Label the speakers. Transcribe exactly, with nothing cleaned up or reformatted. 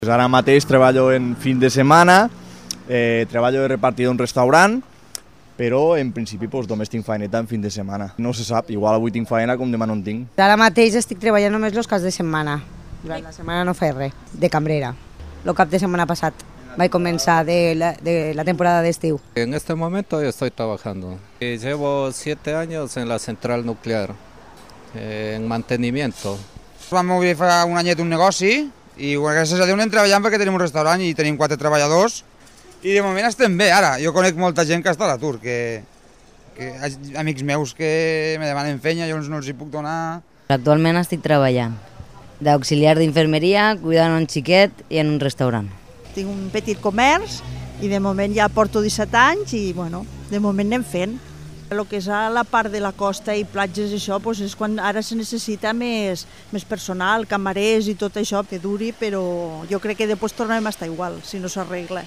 Speaker 1: Ara mateix treballo en fin de setmana, eh, treballo de repartidor en un restaurant, però en principi doncs, només tinc faeneta en fin de setmana. No se sap, igual avui tinc faena com demà no en tinc.
Speaker 2: Ara mateix estic treballant només els caps de setmana. Durant la setmana no faig res, de cambrera. El cap de setmana passat vaig començar de la, de la temporada d'estiu.
Speaker 3: En este momento estoy trabajando. Llevo siete años en la central nuclear, eh, en mantenimiento.
Speaker 4: Vam obrir fa un anyet un negoci i gràcies a Déu anem treballant perquè tenim un restaurant i tenim quatre treballadors i de moment estem bé. Ara, jo conec molta gent que està a l'atur, que, que amics meus que me demanen feina, jo no els hi puc donar.
Speaker 5: Actualment estic treballant d'auxiliar d'infermeria, cuidant un xiquet i en un restaurant.
Speaker 6: Tinc un petit comerç i de moment ja porto disset anys i bueno, de moment anem fent. El que és a la part de la costa i platges, això, doncs és quan ara se necessita més, més personal, camarers i tot això que duri, però jo crec que després tornarem a estar igual, si no s'arregla.